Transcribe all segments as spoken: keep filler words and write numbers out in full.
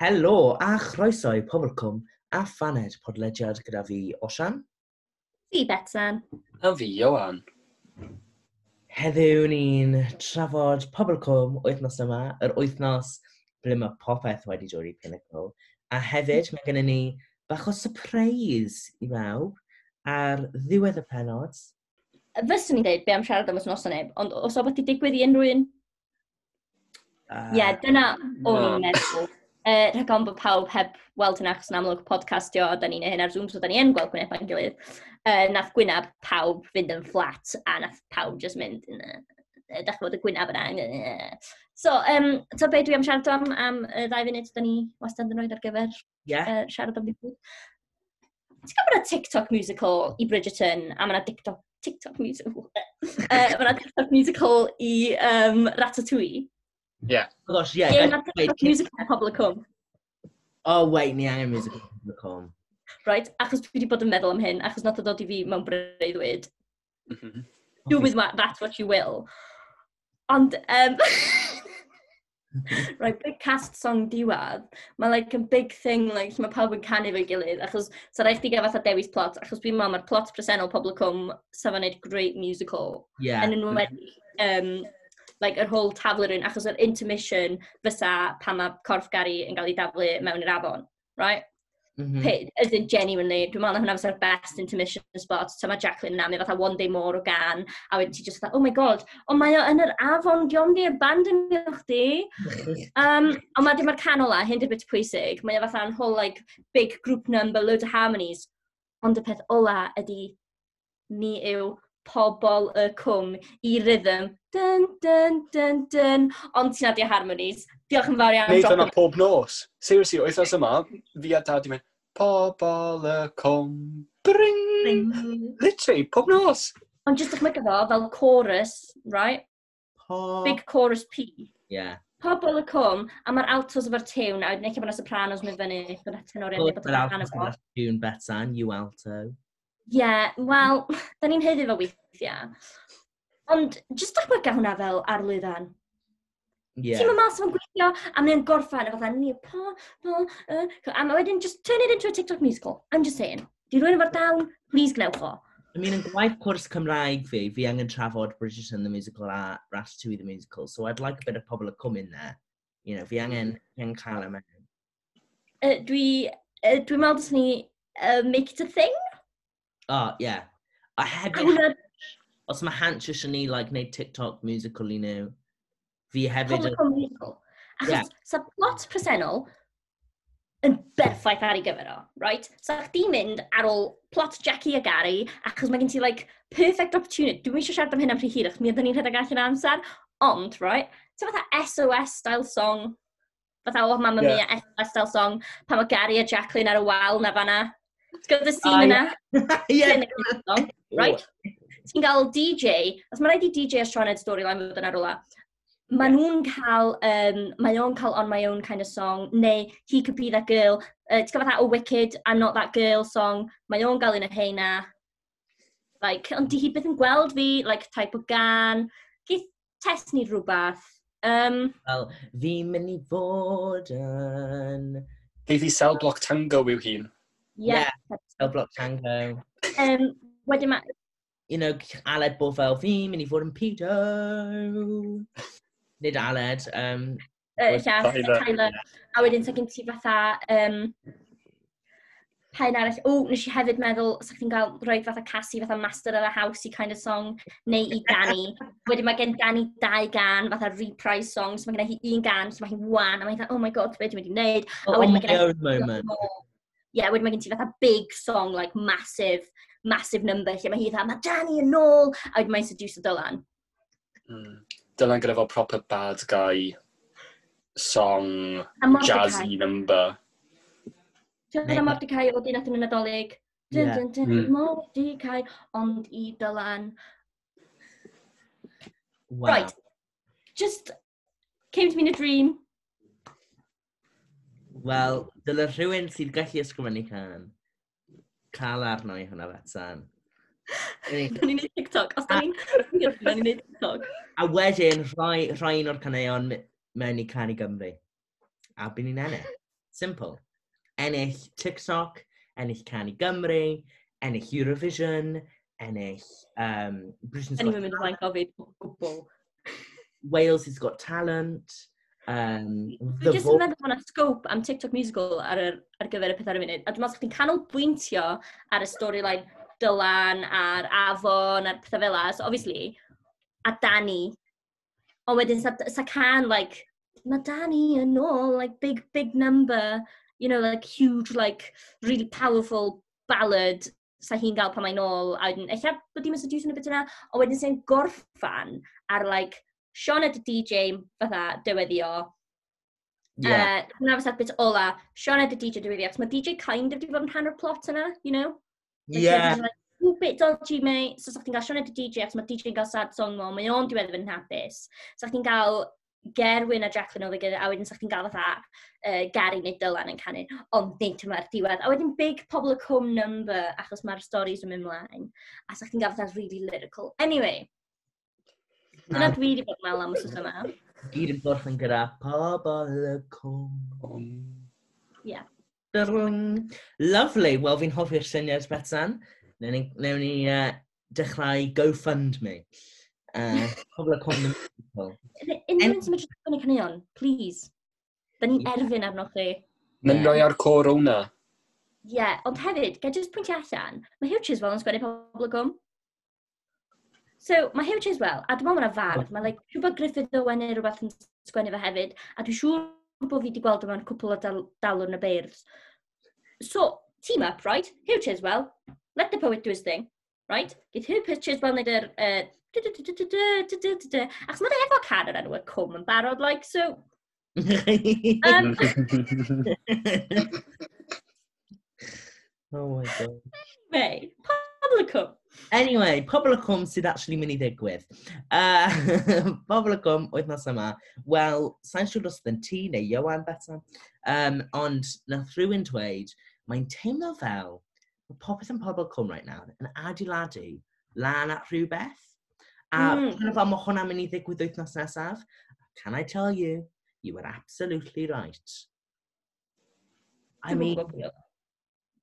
Helo a chroeso i Pobl Cwm a Phaned podlediad gyda fi, Osian. Fi, Betsan. A fi, Ioan. Heddiw ni'n trafod Pobl Cwm wythnos yma, yr wythnos ble mae popeth wedi dod i pinnacle. A hefyd mae gennym ni bach o surprise i bawb ar ddiwedd y penod. Fyswn i'n dweud be am siarad am wythnos neb, ond os o beth i digwydd i unrhyw un? Ie, uh, yeah, dyna o'n i'n meddwl. Uh, rhag ofn bod pawb heb weld hynna, achos yn amlwg podcastio, a da ni'n neud hyn ar Zoom, so da ni yn gweld gwyneb ein gilydd. Uh, nath gwyneb pawb fynd yn flat, a nath pawb just mynd, uh, dach chi'n y gwyneb yna. So, um, so be dwi am siarad am, am y ddau funud da ni wastad yn rhoi ar gyfer yeah. uh, siarad am ddigwydd. Ti'n gwybod bod yna TikTok musical i Bridgerton, a mae yna TikTok, TikTok musical, uh, mae yna TikTok musical i um, Ratatouille. Yeah. Oh gosh, yeah. Yeah, mae TikTok musical Pobl y Cwm. Oh, wait, ni angen musical Pobl y Cwm. Right, achos dwi wedi bod yn meddwl am hyn, achos nath o dod i fi mewn breuddwyd. Mm -hmm. Do with that what you will. Ond, um, right, big cast song diwedd, mae like a big thing, like, lle mae pawb yn canu efo'i gilydd, achos sa rhaid chdi gael fatha dewis plot, achos dwi'n meddwl mae'r plot presennol Pobl y Cwm sa fo'n neud great musical. Yeah. Yn enwedig, um, like, yr whole taflu rhywun, achos yr intermission fysa pan mae corff Gary yn cael ei daflu mewn i'r afon, right? Mm -hmm. Pit, as in genuinely, dwi'n meddwl na hwnna fysa'r best intermission spot. So mae Jacqueline yna, mae fatha one day more o gan, a wedyn ti just fatha, oh my god, ond mae o yn yr afon, diolch di abandonio chdi. um, ond mae dim ar can ola, hyn di'r bit pwysig, mae o fatha'n whole like, big group number, loads of harmonies. Ond y peth ola ydy, ni yw pobl y cwm i rhythm. Dun, dun, dun, dun. Ond ti'n adio harmonies. Diolch yn fawr iawn. Neud hwnna pob nos. Seriously, wythnos yma, fi a dad i mynd, pobl y cwm, bring. Bring. Literally, pob nos. Ond jyst dychmygu fo fel chorus, right? Po... Big chorus P. Yeah. Pobl y cwm, a mae'r altos efo'r tiwn, a wedyn eich bod yna sopranos mynd fyny, bod yna tenoriaid, bod Yr yna altos fo. gyda'r tune Betsan, you alto. Ie, wel, da ni'n haeddu fo weithiau. Ond jyst dychmyga hwnna fel ar lwyfan. Yeah. Ti'n mynd mas fo'n gweithio, a mae'n gorffan, a fatha, ni, po, po, uh, a mae wedyn just turn it into a TikTok musical. I'm just saying. Di rhywun efo'r dawn, please gnewch o. I mean, yn gwaith cwrs Cymraeg fi, fi angen trafod Bridgerton the Musical a Ratatouille the Musical, so I'd like a bit of Pobl y Cwm in there. You know, fi angen, fi angen cael e mewn. Uh, dwi, uh, dwi'n meddwl dylsen ni uh, make it a thing. Oh, yeah. A A hefyd, hwnna, os mae Hansh eisiau ni, like, neud TikTok musical i nhw, fi hefyd... Pobl y Cwm musical. Achos Yeah. sa plot presennol yn berffaith ar ei gyfer o, right? Sa chdi mynd ar ôl plot Jackie a Gary, achos mae gen ti, like, perfect opportunity. Dwi'n eisiau siarad am hyn am rhy hir, achos mi ydyn ni'n rhedeg allan o amser. Ond, right, so fatha S O S style song, fatha o Mamma Yeah. Mia S O S style song, pan mae Gary a Jacqueline ar y wal na fanna. Ti'n gwybod y scene Ah, yna? yeah. Song, right? Ti'n gael D J, os mae rhaid i D J a Sioned storyline fod yna rwla, Mae nhw'n cael, um, mae o'n cael On My Own kind of song, neu He Could Be That Girl, uh, ti'n gwybod fatha o Wicked, I'm Not That Girl song, mae o'n gael un o heina. Like, ond di hi byth yn gweld fi, like, type o gan. Geith test ni rhywbeth. Um, Wel, fi'n mynd i fod yn... Geith i Cell Block Tango yw hun. Yeah. Cell Block Tango. Um, wedyn mae, You know, Aled bod fel, fi'n mynd i fod yn pedo. Nid Aled. Um, uh, llall, Tyler. Tyler. A wedyn, sa gen ti fatha, um, pa un arall, o, nes i hefyd meddwl, sa chdi'n cael rhoi fatha Cassie, fatha Master of the House i kind of song, neu i Danny. Wedyn mae gen Danny dau gan, fatha reprise song, so mae gen hi un gan, so mae hi'n wan, a mae'n fatha, oh my god, be dwi'n mynd i wneud? Oh, A wedyn on mae my gen own moment. Yeah, wedyn mae gen ti fatha big song, like massive, massive number, lle mae hi fatha, mae Danny yn ôl, a wedyn mae'n seduce Dylan. Mm. Dylan gyda fel proper bad guy song, A Mordecai. jazzy number. Ti'n meddwl Mordecai o dyn yn y Nadolig? Dun, Yeah. dun, dun, Mm. Mordecai, ond i Dylan. Wow. Right. Just came to me in a dream. Wel, dyle rhywun sydd gallu ysgrifennu can cael arno i hwnna, Betsan. Da ni'n neud TikTok. Os da ni'n da ni'n neud TikTok. A wedyn, rhai, rhai un o'r caneuon me- mewn i Cân i Gymru. A byn ni'n ennill. Simple. Ennill TikTok, ennill Cân i Gymru, ennill Eurovision, ennill um, Britain's Yn Got i'n mynd ymlaen gofyd o gwbl. Wales has Got Talent, um, Dwi The jyst yn Voice. meddwl bod yna scope am TikTok musical ar, yr, ar gyfer y peth ar y funud. A dwi'n meddwl chdi'n canolbwyntio ar y storyline Dylan, a'r Afon, a'r pethau fel 'a. So obviously, a Danny. Ond wedyn, sa, sa can, like, mae Danny yn ôl, like, big, big number, you know, like, huge, like, really powerful ballad sa hi'n gael pan mae'n ôl. A wedyn, ella bod dim yn seduce yn y bit yna, ond wedyn sy'n gorffan ar, like, Sioned y D J fatha dyweddio. Yeah. Uh, hwnna fysa'r bit ola. Sioned y D J dyweddio, achos mae D J kind of di bod yn rhan o'r plot yna, you know? Like, yeah. Like, "Ooh, bit dodgy, mate." So, sa chdi'n gael Sioned y D J, achos mae D J yn cael sad song mo, mae o'n diwedd yn hapus. Sa chdi'n gael Gerwyn a Jacqueline oedd gyda, a wedyn sa chdi'n gael fatha uh, Gary neu Dylan yn canu, ond nid dyma'r diwedd. A wedyn big Pobol y Cwm number, achos mae'r stories yn mynd mlaen. A sa chdi'n gael fatha really lyrical. Anyway, dyna dwi wedi bod yn meddwl am wythnos yma. Gyd yn gorffen gyda Pobol y Cwm. Um, Yeah. Brrrng. Lovely. Wel, fi'n hoffi'r syniad, Betsan. Newn ni, newn ni uh, dechrau GoFundMe. Uh, Pobol y Cwm the Musical. Unrhyw un sy'n medru sgwennu caneuon, please. Da ni'n erfyn arnoch chi. Na'n Ie. rhoi ar Corona. Ie, yeah, ond hefyd, ga i just pwyntio allan, mae Huw Chiswell yn sgwennu Pobol y Cwm. So, mae Huw Chiswell, a dwi'n meddwl mae'n fardd, mae like, siŵr bod Griffith Owen neu rhywbeth yn sgwennu fe hefyd, a dwi'n siŵr bod fi wedi gweld o mewn cwpl o dal dalwrn y beirdd. So, team up, right? Huw Chiswell, let the poet do his thing, right? Geith Huw Chiswell wneud yr... Uh, du- du- du- du- du- du- du- du- du. Achos mae efo cân o'r enw Y Cwm yn barod, like, so... Um, Oh my God. Anyway, Pobol y Cwm. Anyway, Pobol y Cwm sydd actually mynd i ddigwydd. Uh, Pobol y Cwm, wythnos yma. Wel, sa'n siŵr os oedd yn ti neu Ioan Betsan, um, ond nath rhywun dweud, mae'n teimlo fel mae popeth yn Pobol Cwm right now yn adeiladu lan at rhywbeth. A mm. Mm. fel mae hwnna'n mynd i ddigwydd wythnos nesaf. Can I tell you, you were absolutely right. I Dwi'm yn mean, gwbod pwy oedd.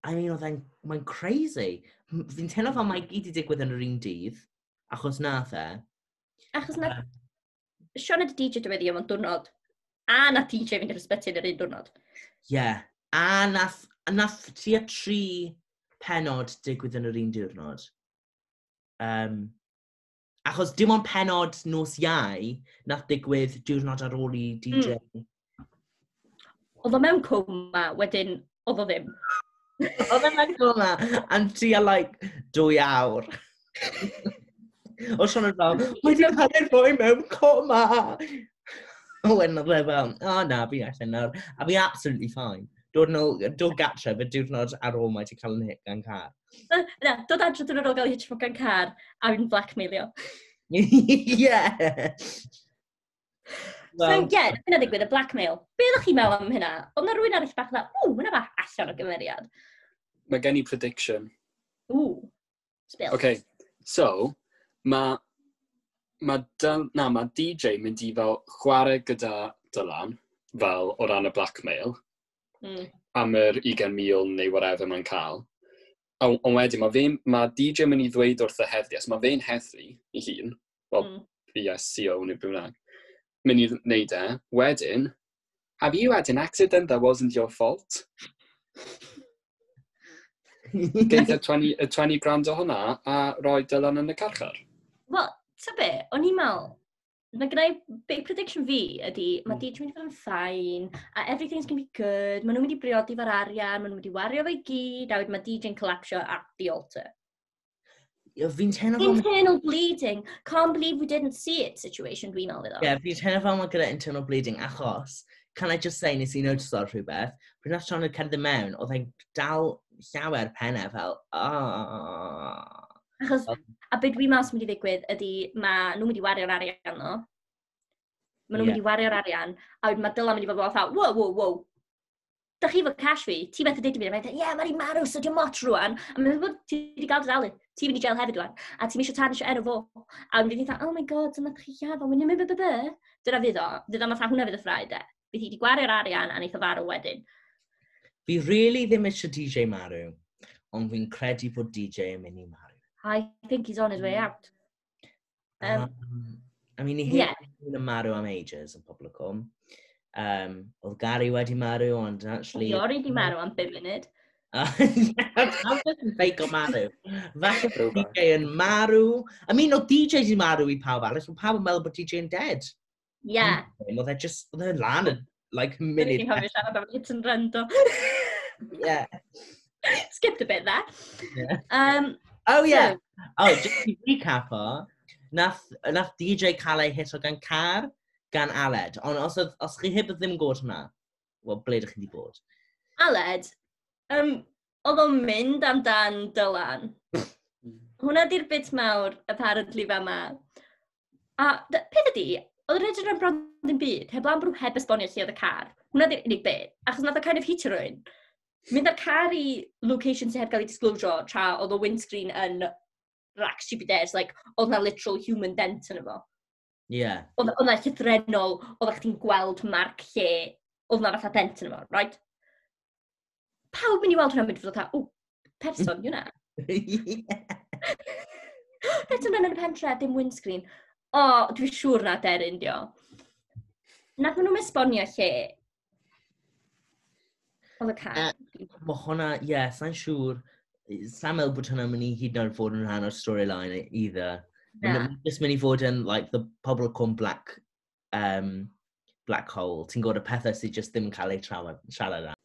I mean, oedd e'n, mae'n crazy. M- Fi'n teimlo fel mae gyd i digwydd yn yr un dydd, achos nath e. Achos na Sioned y D J dyweddi mewn diwrnod. A na D J fynd i'r ysbyty yn yr un diwrnod. Ie. Yeah. A nath, a nath tua tri penod digwydd yn yr un diwrnod. Um, achos dim ond penod nos Iau nath digwydd diwrnod ar ôl i D J. Mm. Oedd o mewn coma, wedyn oedd o ddim. Oedd e'n mewn coma am tua like dwy awr. O Sioned fel, "Mae wedi cael ei rhoi mewn coma." O, wedyn oedd e fel, "O oh, na, fi allan nawr." A fi absolutely fine. Dod nôl, dod gatre, fe diwrnod ar ôl mae wedi cael yn hit gan car. Na, na, dod adre diwrnod ar ôl gael ei hitio gan car, a fi'n blackmailio. Yeah. Well, so, ie, yeah, hynna ddigwydd, y blackmail. Be ydych chi'n meddwl am hynna? Oedd na rhywun arall bach dda, "Ww, hwnna bach allan o gymeriad." Mae gen i prediction. Ww, spill. Okay, so, mae ma, Dyl, na, ma D J mynd i fel chwarae gyda Dylan, fel o ran y blackmail, Mm. am yr ugain mil neu whatever mae'n cael. Ond on wedyn, mae, fe, ma D J mynd i ddweud wrth y heddlu, os mae fe'n heddlu i hun, wel, Mm. B S C O neu beth bynnag, mynd i wneud e, wedyn, "Have you had an accident that wasn't your fault?" Geith y twenty, y twenty grand o hwnna a roi Dylan yn y carchar. Wel, ta be, o'n i'n meddwl, mae gennai big prediction fi ydy, mae Mm. D J mynd i fod yn fine, a everything's gonna be good, maen nhw'n mynd i briodi fo'r arian, maen nhw'n mynd i wario fe i gyd, a wedyn mae D J'n collapsio at the altar. Fi'n teimlo fel... Internal bleeding, can't believe we didn't see it situation dwi'n meddwl iddo. Yeah, fi'n teimlo fel mae gyda internal bleeding achos, can I just say, nes i notice ar rhywbeth, pryd nath Sioned cerdded mewn, oedd e'n dal llawer pennau fel, "Ah." Achos, a be dwi'n meddwl sy'n mynd i ddigwydd ydy, mae nhw'n mynd i wario'r arian no. Mae nhw'n Ie. mynd i wario'r arian, a wedyn mae Dylan mynd i fod fel fatha, "Wow, wow, wow. Da chi fod cash fi, ti methu deud i fi," a mae'n dweud, "Ie, yeah, mae'n marw, so di'n mot rwan." A mae'n dweud, "Ti wedi gael dy ddal, ti'n mynd i jail hefyd rwan, a ti'n eisiau tarnisio enw fo." A wedyn fydd hi'n, "Oh my God, dyma chi lladd o, mynd mynd mynd." Dyna fydd o, fydd o fatha hwnna fydd y ffrae de. Bydd hi wedi gwario'r arian a wneith o farw wedyn. Fi really ddim eisiau D J marw, ond fi'n credu bod D J yn mynd i marw. I think he's on his way out. Um, Um, I mean, i yeah. heb yn marw am ages yn Pobol y Cwm. Um, oedd Gary wedi marw, ond actually. Oedd Iori di marw am bum munud. Pam beth yn fake o marw? Falle bod Throwback. D J yn marw. I mean, oedd D J di marw i pawb arall, ond pawb yn meddwl bod D J yn dead. Yeah. Oedd e just, oedd e lan yn, like, Dwi'n munud. cofio siarad am hit and run, do. Yeah. Skipped a bit there. Yeah. Um, Oh, yeah. So, Oh, just i recap o, nath, nath D J cael ei hit o gan car gan Aled. Ond os, oedd- os chi heb ddim yn gwybod hwnna, wel, ble ydych chi wedi bod? Aled, um, oedd o'n mynd amdan Dylan. Hwna di'r bit mawr, apparently, fa ma. A d- peth ydi, oedd yr edrych yn bron ddim byd, heblaw am bod nhw heb esbonio lle oedd y car. Hwna di'r unig bit, achos nath o kind of hitio rhywun. Mynd â'r car i location sydd heb gael ei disclosure tra oedd o windscreen yn rack stupid airs, like, oedd na literal human dent yn efo. Yeah. Oedd oedd na llythrennol, oedd chdi'n gweld marc lle, oedd na fatha dent yn efo, right? Pawb mynd i weld hwnna'n mynd i fod fatha, "O, person, yw na." Eto yn y pentre, dim windscreen. O, dwi'n siŵr na deryn dio. Nath nhw'n esbonio lle oedd y car. Yy, Mae hwnna, ie, yeah, sa'n siŵr, sa'n meddwl bod hwnna'n mynd i hyd yn oed fod yn rhan o'r storyline either. Na. Mae'n just mynd i fod yn, like, the Pobol y Cwm black, um, black hole. Ti'n gwybod y pethau sydd just ddim yn cael eu trafod, siarad am.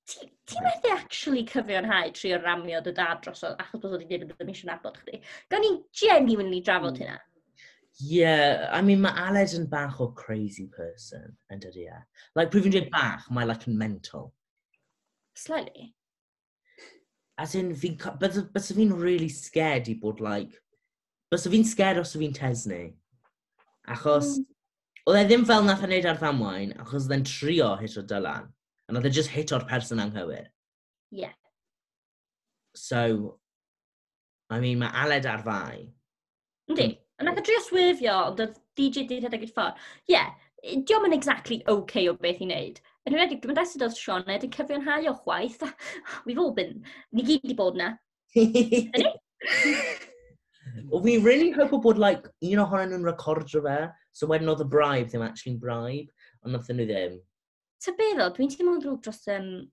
Ti ti methu actually cyfiawnhau trio ramio dy dad drosodd achos bod wedi dweud bod ddim eisiau nabod chdi. Gawn ni genuinely drafod Mm. hynna. Yeah, I mean, mae Aled yn bach o crazy person, yn dydi e? Like, pryd fi'n dweud bach, mae like yn mental. Slightly. As in, fi'n, bysa fi'n really scared i bod, like, bysa fi'n scared os fi'n Tesni. Achos, Mm. oedd e ddim fel nath e wneud ar ddamwain, achos oedd e'n trio hit o Dylan. A nath e just hit o'r person anghywir. Yeah. So, I mean, mae Aled ar fai. Yndi. A nath e drio swerfio, ond oedd D J di rhedeg i'r ffordd. Ie, yeah, dio'm yn exactly okay o beth i wneud. Yn enwedig, dwi'n meddwl oedd Sioned yn cyfiawnhau o chwaith. We've all been, ni gyd di bod na. Well, fi really hope bod, like, un ohonyn nhw'n recordio fe, so wedyn oedd y bribe ddim actually'n bribe, ond nath nhw ddim. Ta be ddo, dwi'n teimlo'n ddrwg dros... Um,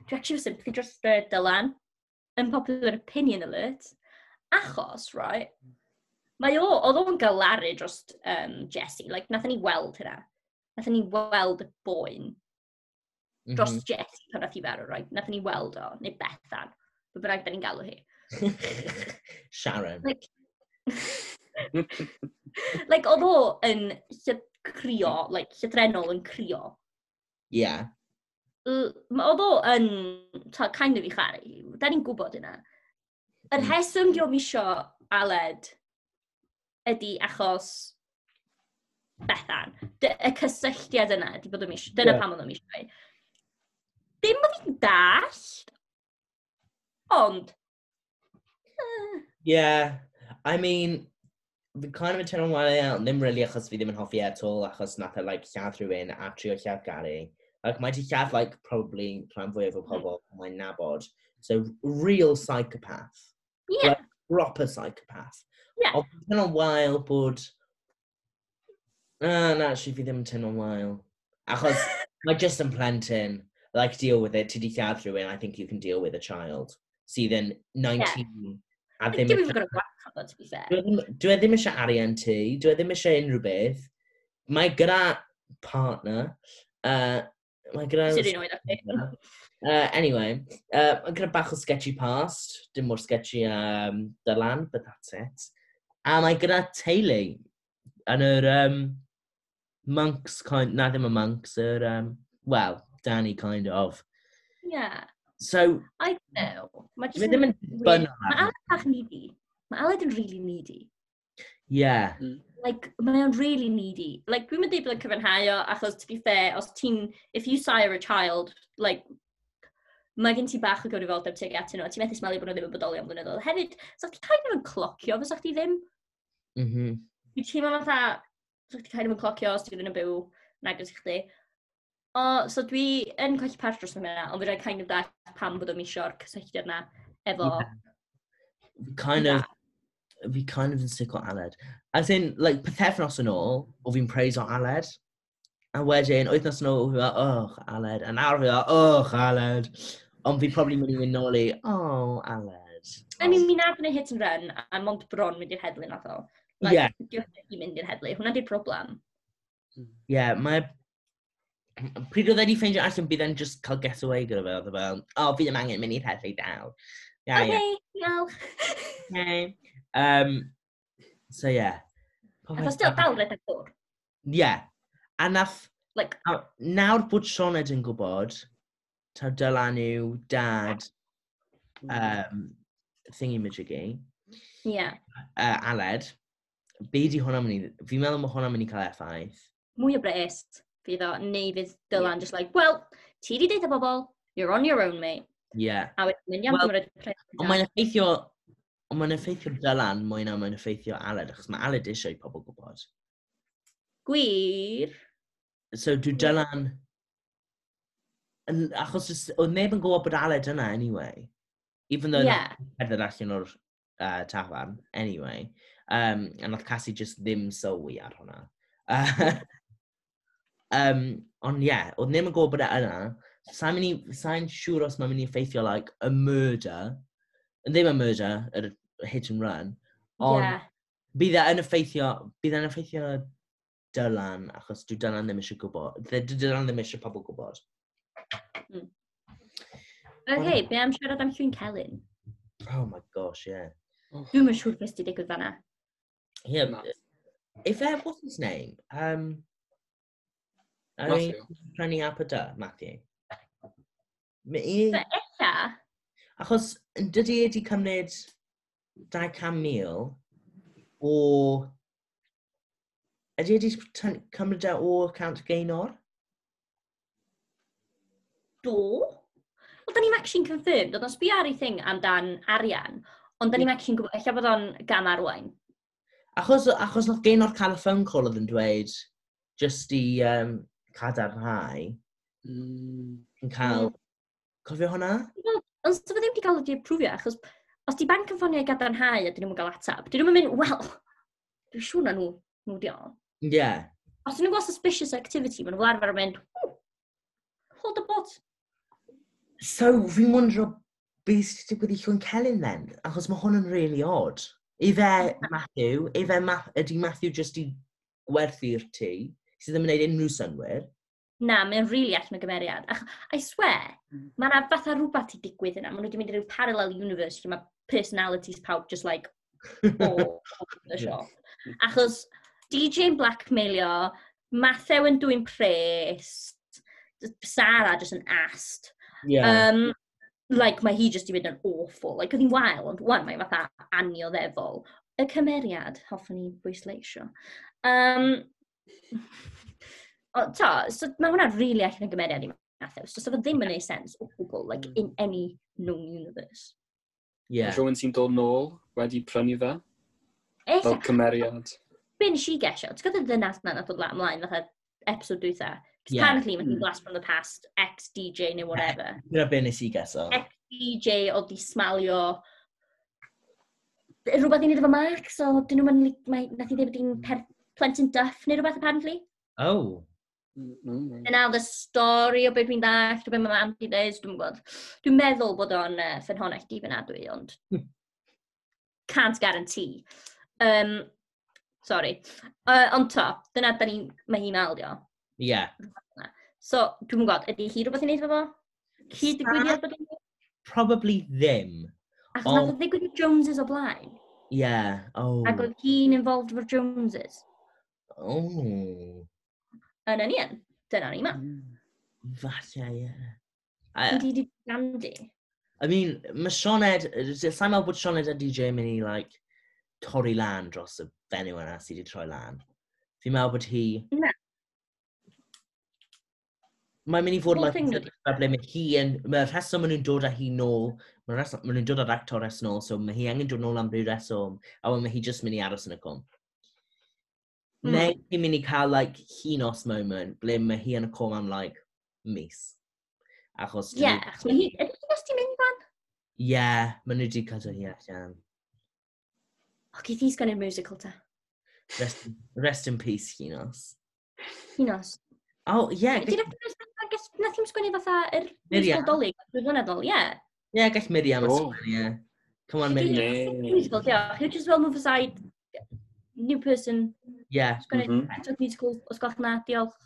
dwi actually sympathy dros uh, Dylan. Unpopular opinion alert. Achos, right, mae o, oedd o'n galaru dros um, Jessie. Like, nathon ni weld hynna. Nathon ni weld y boen dros mm -hmm. Jessie pan nath hi farw, right? Nathon ni weld o, neu Bethan. Be bynnag da ni'n galw hi. Sharon. Like, like oedd o yn lle- crio, like, llythrennol yn crio. Yeah. L- ma- Oedd o yn ta, kind of i charu. Da ni'n gwybod hynna. Yr Mm. rheswm dio'm isio Aled ydy achos Bethan. Dy, y cysylltiad yna ydy bod o'm isio. Dyna Ie. pam oedd o'm isio hi. Dim bod fi'n dallt, ond eh, Yeah. I mean, fi kind of yn teimlo'n wael iawn, ddim really achos fi ddim yn hoffi e at all, achos nath e, like, lladd rhywun a trio lladd Gary. Like, mae di lladd, like, probably rhan fwyaf o pobl mae'n nabod. So, real psychopath. yeah, Like, proper psychopath. Yeah. Ond fi'n teimlo'n wael bod. Uh, na, actually, fi ddim yn teimlo'n wael. Achos mae just yn plentyn. Like, deal with it. Ti di lladd rhywun, I think you can deal with a child. Sydd yn nineteen. A ddim Dim even got a gwarchod, to be fair. Dwi e ddim, dwi e ddim eisiau arian ti, dwi e ddim eisiau unrhyw beth. Mae gyda partner. Uh, mae gyda. Sy'n un oed â chi. Uh, anyway, uh, mae gyda bach o sketchy past. Dim mor sketchy um, Dylan, but that's it. A mae gyda teulu yn yr um, monks kind. Na, ddim y monks, yr... Um, well, Danny kind of. Yeah. So, I don't know. Mae dwi ddim yn weird. dibynnu Mae arno. Aled bach needy. Mae Aled yn really needy. Yeah. Like, mae o'n really needy. Like, dwi'n mynd i bod yn cyfiawnhau o, achos, to be fair, os ti'n, if you sire a child, like, mae gen ti bach o gyfrifoldeb tuag atyn nhw, a ti'n methu smalio bod nhw ddim yn bodoli am blynyddoedd. Hefyd, sa chdi kind of yn clocio, fysa chdi ddim. Mm -hmm. Dwi'n teimlo fatha, sa chdi kind of yn clocio os ti ddim yn byw yn agos i chdi. O, so dwi yn colli parch dros hynna, ond fydda i kind of dallt pam bod o'n isio'r cysylltiad na efo. Yeah. Fi kind of, fi kind of yn sick o Aled. As in, like, pythefnos yn ôl, o fi'n praise o Aled. A wedyn, wythnos yn ôl, o fi fel, "Oh, Aled." A nawr fi fel, "Oh, Aled." Ond fi probably mynd i mynd nôl i, "Oh, Aled." I mean, mi nath yn hit and run, a mond bron mynd i'r heddlu nath o. Like, Yeah. Diolch i mynd i'r heddlu. Hwnna di'r problem. Yeah, mae... Pryd oedd e wedi ffeindio allan bydd e'n just cael get away gyda fe, oedd e fel, "Oh, fi ddim angen mynd i'r heddlu dal." Yeah, yeah. Okay, diolch. Okay. Um, so, yeah. Nath o still dal redeg ffwrdd. Yeah. A nath, Like, a nawr bod Sioned yn gwybod, taw Dylan yw dad um, thingy majiggy, yeah. uh, Aled, be di hwnna'n mynd i... Fi'n meddwl mae hwnna'n mynd i cael effaith. Mwy o bres fydd o, neu fydd Dylan just like, "Well, ti di deud bobl, you're on your own, mate." Yeah. A wedyn mynd iawn Wel, cymryd pres. Ond mae'n effeithio... Ond mae'n effeithio Dylan mwy na mae'n effeithio Aled, achos mae Aled eisiau i pobl gwybod. Gwir. So dwi Dylan... Yn, achos jyst- oedd neb yn gwybod bod Aled yna anyway. Even though Yeah. yeah. cerdded allan o'r uh, tafarn, anyway. Um, a nath Cassie just ddim sylwi ar hwnna. Uh, um, ond ie, yeah, oedd neb yn gwybod bod e yna. Sa'n mynd i, sa'n siŵr os mae'n mynd i effeithio, like, a murder. Ddim a murder, yr hit and run. Ond Yeah. bydd e yn effeithio, bydd e'n effeithio Dylan, achos dwi Dylan ddim eisiau gwybod. Dwi Dylan ddim eisiau pobl gwybod. Okay, be am siarad am Llwyn Celyn? Oh my gosh, yeah. Dwi'm yn siŵr beth sydd wedi digwydd fanna. Yeah, Na. if uh, what's his name? Um, I mean, Matthew. prynu app y dy, Matthew. Mi i, Fe ella, achos yn dydy e wedi cymryd dau cant mil o... Ydy e wedi tyn- cymryd e o account Gaynor? Do. Wel, da ni'n actually confirmed, oedd o'n sbio ar ei thing amdan arian, ond da ni'n actually gwybod, ella bod o'n gam arwain. Achos, achos nath Gaynor cael y phone call oedd yn dweud just i um, cadarnhau Mm. yn cael... Cofio hwnna? Ond so fe ddim wedi cael ei approfio, achos os di banc yn ffonio i gadarnhau a dyn nhw'n cael atab, dyn nhw'n mynd, "Wel, dwi'n siŵr na nhw, nhw di o." Ie. Yeah. Os dyn nhw'n gweld suspicious activity, maen nhw fel arfer yn mynd, "Ooh, hold the bot." So, fi'n wondro beth sydd wedi digwydd i Llwyn Celyn then? Achos mae hwn yn really odd. Ife Matthew, ife Ma ydy Matthew just i gwerthu'r tŷ, sydd ddim yn gwneud unrhyw synwyr? Na, mae'n really allan o gymeriad. Ach, I swear, Mm. mae yna fatha rhywbeth i digwydd yna. Maen nhw wedi mynd i ryw parallel universe lle mae personalities pawb just like all over the shop. Achos D J yn blackmailio, Matthew yn dwyn pres, Sarah just yn ast. Yeah. Um, like, mae hi just i fynd yn awful. Like, oedd hi'n wael, ond wan mae fatha annioddefol. Y cymeriad, hoffwn i bwysleisio. Um, o, to, so mae hwnna'n really allan o gymeriad i Matthew. So, so fe ddim yn neud sense o gwbl, like, Mm. in any known universe. Yeah. Rhywun sy'n dod nôl wedi prynu fe, Ella, fel cymeriad. Be nes i gesio, ti'n gwybod y ddynas na nath dod lan ymlaen fatha episode dwytha? Cos Yeah. apparently mae hi'n Mm. blast from the past, ex-D J neu whatever. Dyna be nes i geso. Ex-D J oedd di smalio rhywbeth i wneud efo Mark, so dyn nhw'n mynd, mae, nath i ddweud bod hi'n per- plentyn duff neu rhywbeth apparently. Oh. Mm, mm, Dyna oedd y stori o beth dwi'n dallt, o beth mae mam di dweud, dwi'n gwybod. Dwi'n meddwl bod o'n uh, ffynhonnell dibynadwy, ond can't guarantee. Um, sorry. Uh, ond to, dyna da ni, mae hi'n maldio. Yeah. So, dwi'n gwybod, ydy hi rhywbeth i wneud efo fo? Cyd digwyddiad bod hi'n Probably ddim. Achos nath o ddigwydd i Joneses o blaen. Yeah. Oh. Ac oedd hi'n involved efo'r Joneses. Oh. Yn union. Dyna ni ma. mm. Falle, yeah. I, Ydy di Gandhi. I mean, mae Sioned, sa'n meddwl bod Sioned a D J yn mynd i, like, torri lan dros y fenyw yna sydd wedi troi lan. Fi'n meddwl bod hi... Na. Mae'n mynd i fod Whole like, thing sefyllfa ble mae hi yn... Mae'r rheswm maen nhw'n dod â hi nôl, mae'r rheswm maen nhw'n dod â'r actores nôl, so mae hi angen dod nôl am ryw reswm, a wedyn mae hi just mynd i aros yn y cwm. Mm. Neu hi'n mynd i cael, like, Hinos moment, ble mae hi yn y cwm am, like, mis. Achos... Ie, yeah, achos mae hi... Ydy Llinos di mynd fan? Ie, yeah, maen nhw wedi cadw hi allan. O, geith hi sgwennu'r musical ta. Rest, rest in peace, Llinos. Llinos. Oh, ie. Yeah, gall... Nath hi'm sgwennu fatha yr musical Dolig, dwy flynedd ôl, ie. Ie, gall Miriam oh. ysgrifennu, ie. Come on, Miriam. Musical, diolch. You just well move aside, new person. Yeah. Sgwennu mm -hmm. musical, os gwelwch na, diolch.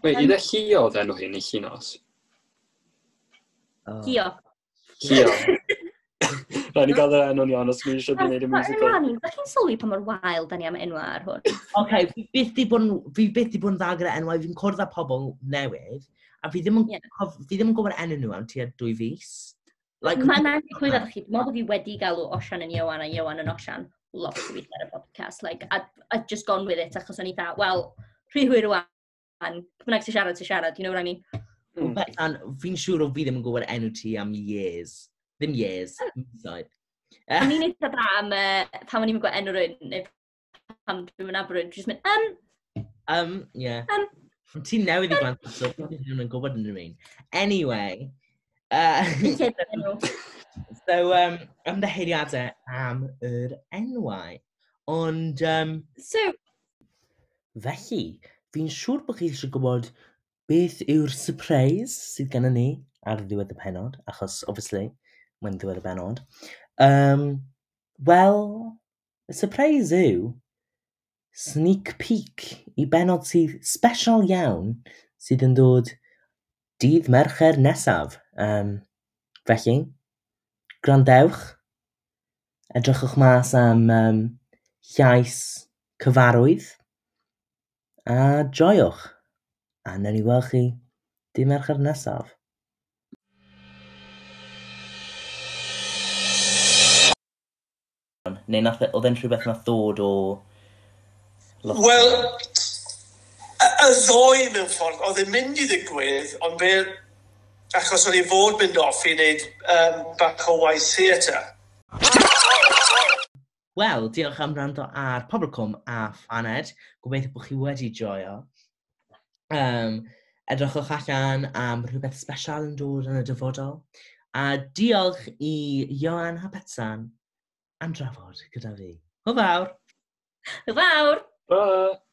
Wait, um, iddo Llio oedd enw hi neu Llinos? Oh. Llio. Llio. Rhaid ni gael yr enw'n iawn os mi eisiau gwneud y musical. Da chi'n sylwi pa mor wael da ni am enwau ar hwn? Oce, fi byth di bod yn, fi byth di bod yn dda gyda enwau, fi'n cwrdd â pobl newydd, a fi ddim yn, yeah. fi ddim yn gwybod enw nhw am tua dwy fis. Like, Mae'n anghywir ar chi, dwi'n meddwl bod fi wedi galw Osian yn Iwan a Iwan yn Osian lot o weithiau ar y podcast. Like, I'd, I'd just gone with it achos o'n i dda, wel, rhy hwyr rwan, bynnag ti'n siarad, ti'n siarad, you know what I mean? Mm. Bethan, fi'n siŵr o fi ddim yn gwybod enw ti am years. Ddim years, misoedd. O'n i'n eitha da am uh, pan o'n i'n gwybod enw rhywun, neu pan dwi'n mynd rhywun, dwi'n mynd, um, Um, yeah. Um, Ti'n newydd i blant, so fi ddim yn gwybod unrhyw un. Anyway, uh, so, um, ymddiheuriadau am yr enwau. Ond, um, so, felly, fi'n siŵr bod chi eisiau gwybod beth yw'r surprise sydd gennym ni ar ddiwedd y pennod, achos, obviously, mae'n ddiwedd y bennod. Um, Wel, y surprise yw sneak peek i bennod sydd special iawn sydd yn dod dydd Mercher nesaf. Um, felly, gwrandewch, edrychwch mas am um, llais cyfarwydd, a joiwch. A newn ni weld chi dydd Mercher nesaf. Neu nath, oedd e'n rhywbeth nath ddod o... Wel, y, y ddoi mewn ffordd, oedd e'n mynd i ddigwydd, ond fe, achos o'n i fod mynd off i wneud um, bach o waith theatr. Wel, diolch am wrando ar Pobl Cwm a Phaned. Gobeithio bod chi wedi joio. Um, edrychwch allan am rhywbeth special yn dod yn y dyfodol. A diolch i Ioan a Betsan am drafod gyda fi. Hwyl fawr! Hwyl fawr! Bye!